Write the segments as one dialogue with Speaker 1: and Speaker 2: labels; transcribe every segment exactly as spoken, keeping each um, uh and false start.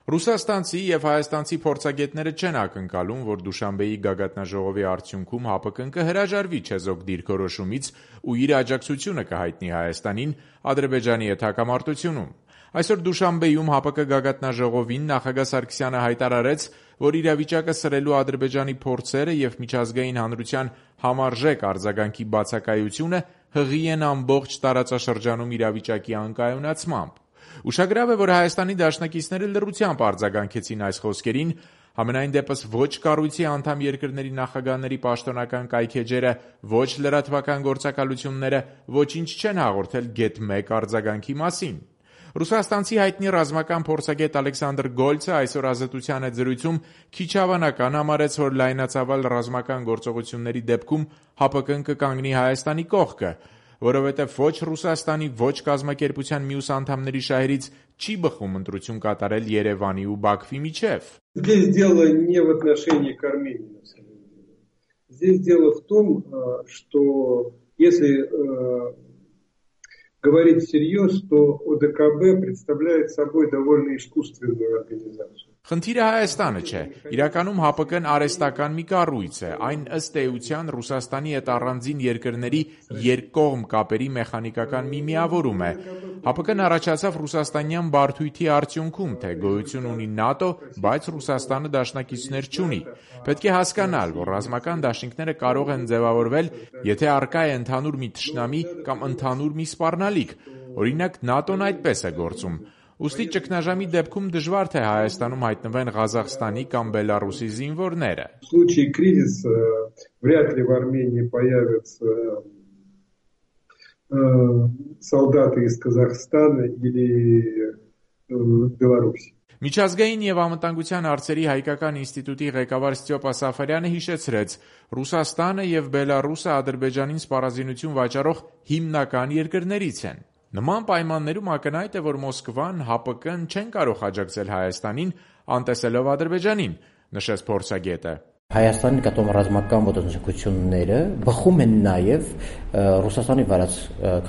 Speaker 1: Ռուսաստանցի եւ հայաստանցի փորձագետները չեն ակնկալում, որ Դուշանբեի գագաթնաժողովի արդյունքում ՀԱՊԿ-ն կհրաժարվի չեզոք դիրքորոշումից ու իր աջակցությունը կհայտնի Հայաստանին Ադրբեջանի հետ հակամարտությունում։ Այսօր Դուշանբեում ՀԱՊԿ գագաթնաժողովին նախագահ Սարգսյանը հայտարարեց, որ իրավիճակը սրելու Ադրբեջանի փորձերը եւ միջազգային հանրության համարժեք արձագանքի բացակայությունը հղի են ամբողջ տարածաշրջանում իրավիճակի անկայունացմամբ։ Ուշագրավ է, որ Հայաստանի դաշնակիցները լռությամբ արձագանքեցին այս խոսքերին, համենայն դեպս ոչ կառույցի անդամ երկրների նախագահների պաշտոնական կայքէջերը, ոչ լրատվական գործակալությունները ոչինչ չեն հաղորդել գեթ մեկ արձագանքի մասին։ Ռուսաստանցի հայտնի ռազմական փորձագետ Ալեքսանդր Գոլցը այսօր Ազատության հետ զրույցում քիչ հավանական համարեց, որ լայնածավալ ռազմական գործողությունների դեպքում ՀԱՊԿ-ն կկանգնի Հայաստանի կողքը, որովհետև ոչ Ռուսաստանի, ոչ կազմակերպության մյուս անդամների շահերից չի բխում ընտրություն կատարել Երևանի ու Բաքվի միջև։
Speaker 2: Здесь дело не в отношении к Армении, на самом деле. Здесь дело в том, что если говорить всерьез, то ОДКБ представляет собой довольно искусственную организацию.
Speaker 1: Խնդիրը Հայաստանը չէ, իրականում ՀԱՊԿ-ն արհեստական մի կառույց է, այն ըստ էության Ռուսաստանի հետ առանձին երկրների երկկողմ կապերի մեխանիկական մի միավորում է։ ՀԱՊԿ-ն առաջացավ ռուսաստանյան բարդույթի արդյունքում, թե գոյություն ունի ՆԱՏՕ, բայց Ռուսաստանը դաշնակիցներ չունի։ Պետք է հասկանալ, որ ռազմական դաշինքները կարող են ձևավորվել, եթե առկա է ընդհանուր մի թշնամի կամ ընդհանուր մի սպառնալիք, օրինակ ՆԱՏՕ-ն այդպես է գործում։ Ուստի ճգնաժամի դեպքում դժվար թե Հայաստանում հայտնվեն Ղազախստանի կամ Բելառուսի զինվորները։
Speaker 2: В случае кризиса вряд ли в Армении появятся солдаты из Казахстана или Беларуси.
Speaker 1: Միջազգային եւ անվտանգության հարցերի հայկական ինստիտուտի ղեկավար Ստյոպա Սաֆարյանը հիշեցրեց, Ռուսաստանը եւ Բելառուսը Ադրբեջանին սպառազինություն վաճառող հիմնական երկրներից են։ Նման պայմաններում ակնհայտ է, որ Մոսկվան, ՀԱՊԿ-ն չեն կարող աջակցել Հայաստանին, անտեսելով Ադրբեջանին, նշեց փորձագետը։
Speaker 3: Հայաստանի նկատմամբ ռազմական ոտնձգությունները բխում են նաև Ռուսաստանի վարած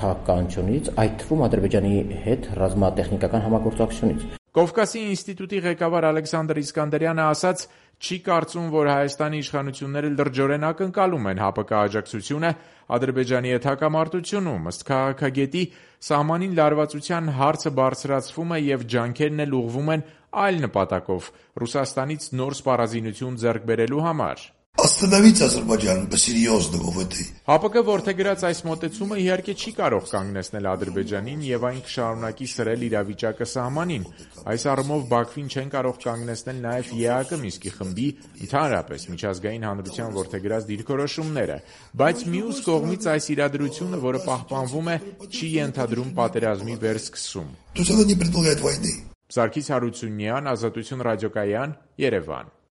Speaker 3: քաղաքականությունից, այդ թվում Ադրբեջանի հետ ռազմատեխնիկական համագործակցությունից։
Speaker 1: Կովկասի ինստիտուտի ղեկավար Ալեքսանդր Իսկանդարյանը ասաց, չի կարծում, որ Հայաստանի իշխանությունները լրջորեն ակնկալում են ՀԱՊԿ աջակցությունը Ադրբեջանի հետ հակամարտությունում, ըստ քաղաքագետի, սահմանին լարվածության հարցը բարձրացվում է եւ ջանքերն էլ ուղղվում են այլ նպատակով՝ Ռուսաստանից նոր սպառազինություն ձեռք բերելու համար։
Speaker 4: Остановить Азербайджан по-серьезному в этой.
Speaker 1: ՀԱՊԿ որդեգրած այս մոտեցումը իհարկե չի կարող կանգնեցնել Ադրբեջանին եւ այն կշարունակի սրել իրավիճակը սահմանին։ Այս առումով Բաքվին չեն կարող կանգնեցնել նաեւ ԵԱՀԿ Մինսկի խմբի, ընդհանրապես միջազգային հանրության որդեգրած դիրքորոշումները, բայց մյուս կողմից այս իրադրությունը, որը պահպանվում է, չի ենթադրում պատերազմի վերսկսում։
Speaker 4: То есть оно не предполагает войны.
Speaker 1: Սարգիս Հարությունյան, Ազատություն ռադիոկայան, Երևան։